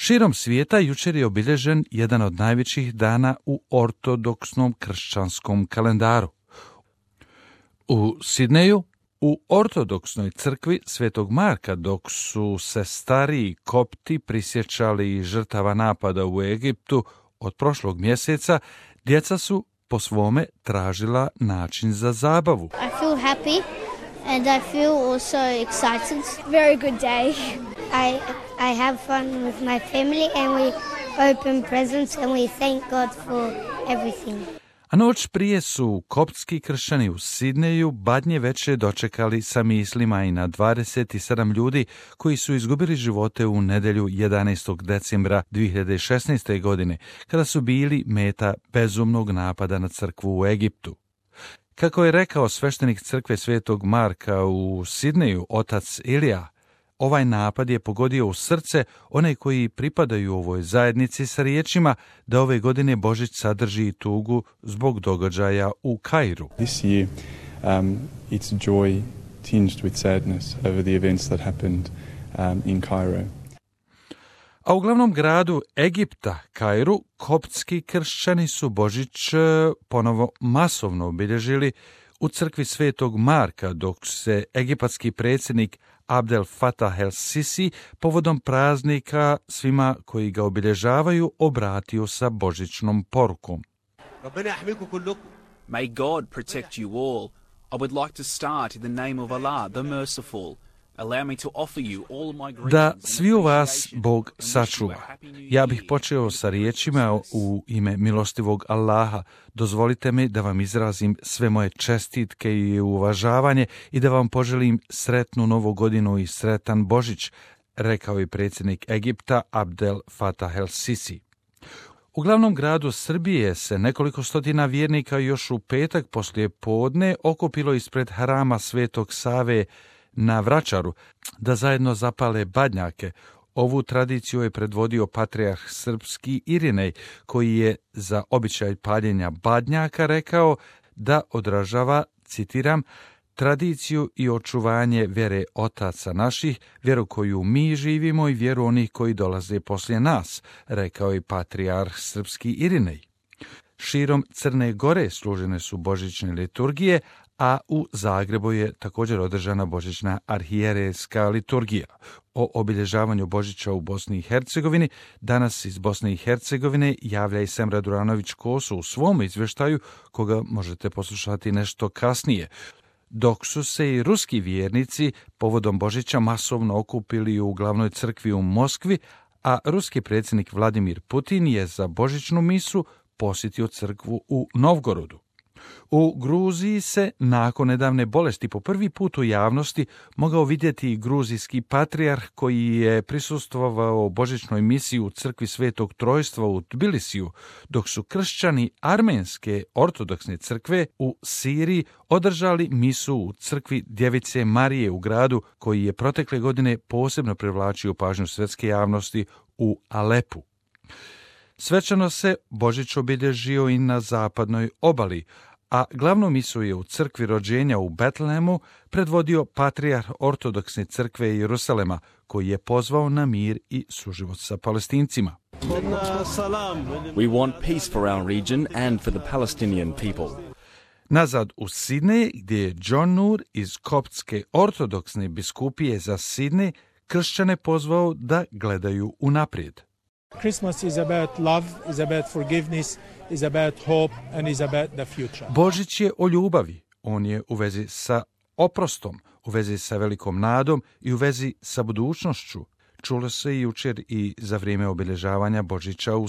Širom svijeta jučer je obilježen jedan od najvećih dana u ortodoksnom kršćanskom kalendaru. U Sidneju, u ortodoksnoj crkvi Svetog Marka, dok su se stariji kopti prisjećali žrtava napada u Egiptu od prošlog mjeseca, djeca su po svome tražila način za zabavu. I feel happy and I feel also excited. Very good day. I have fun with my family and we open presents and we thank God for everything. A noć prije su koptski kršćani u Sidneju Badnje veče dočekali sa mislima i na 27 ljudi koji su izgubili živote u nedjelju 11. decembra 2016. godine, kada su bili meta bezumnog napada na crkvu u Egiptu. Kako je rekao sveštenik crkve Svetog Marka u Sidneju, otac Ilija, ovaj napad je pogodio u srce one koji pripadaju ovoj zajednici sa riječima da ove godine Božić sadrži tugu zbog događaja u Kairu. This year, it's joy tinged with sadness over the events that happened in Cairo. A u glavnom gradu Egipta, Kairu, koptski kršćani su Božić ponovo masovno obilježili u crkvi Svetog Marka, dok se egipatski predsjednik Abdel Fattah el-Sisi povodom praznika svima koji ga obilježavaju obratio sa božićnom porukom. May God protect you all. I would like to start in the name of Allah, the merciful. Allow me to offer you all my greetings. Da sviju vas Bog sačuva. Ja bih počeo sa riječima u ime milostivog Allaha. Dozvolite mi da vam izrazim sve moje čestitke i uvažavanje i da vam poželim sretnu novu godinu i sretan Božić, rekao je predsjednik Egipta Abdel Fattah el-Sisi. U glavnom gradu Srbije se nekoliko stotina vjernika još u petak poslije podne okupilo ispred hrama Svetog Save na Vračaru da zajedno zapale badnjake. Ovu tradiciju je predvodio patrijarh srpski Irinej, koji je za običaj paljenja badnjaka rekao da odražava, citiram, tradiciju i očuvanje vjere otaca naših, vjeru koju mi živimo i vjeru onih koji dolaze poslije nas, rekao je patrijarh srpski Irinej. Širom Crne Gore služene su božićne liturgije, a u Zagrebu je također održana božićna arhijerejska liturgija. O obilježavanju Božića u Bosni i Hercegovini danas iz Bosne i Hercegovine javlja i Semra Duranović-Koso u svom izvještaju, koga možete poslušati nešto kasnije. Dok su se i ruski vjernici povodom Božića masovno okupili u glavnoj crkvi u Moskvi, a ruski predsjednik Vladimir Putin je za božićnu misu posjetio crkvu u Novgorodu. U Gruziji se nakon nedavne bolesti po prvi put u javnosti mogao vidjeti i gruzijski patrijarh koji je prisustvovao božićnoj misiji u crkvi Svetog Trojstva u Tbilisiju, dok su kršćani armenske ortodoksne crkve u Siriji održali misu u crkvi Djevice Marije u gradu koji je protekle godine posebno privlačio pažnju svjetske javnosti u Alepu. Svečano se Božić obilježio i na zapadnoj obali, a glavnu misu je u crkvi rođenja u Betlehemu predvodio patrijarh ortodoksne crkve Jerusalema, koji je pozvao na mir i suživot sa Palestincima. We want peace for our region and for the Palestinian people. Nazad u Sidnej, gdje je John Nur iz koptske ortodoksne biskupije za Sidnej kršćane pozvao da gledaju unaprijed. Christmas is about love, is about forgiveness, is about hope and is about the future. Božić je o ljubavi. On je u vezi sa oprostom, u vezi sa velikom nadom i u vezi sa budućnošću. Čulo se jučer i za vrijeme obilježavanja Božića u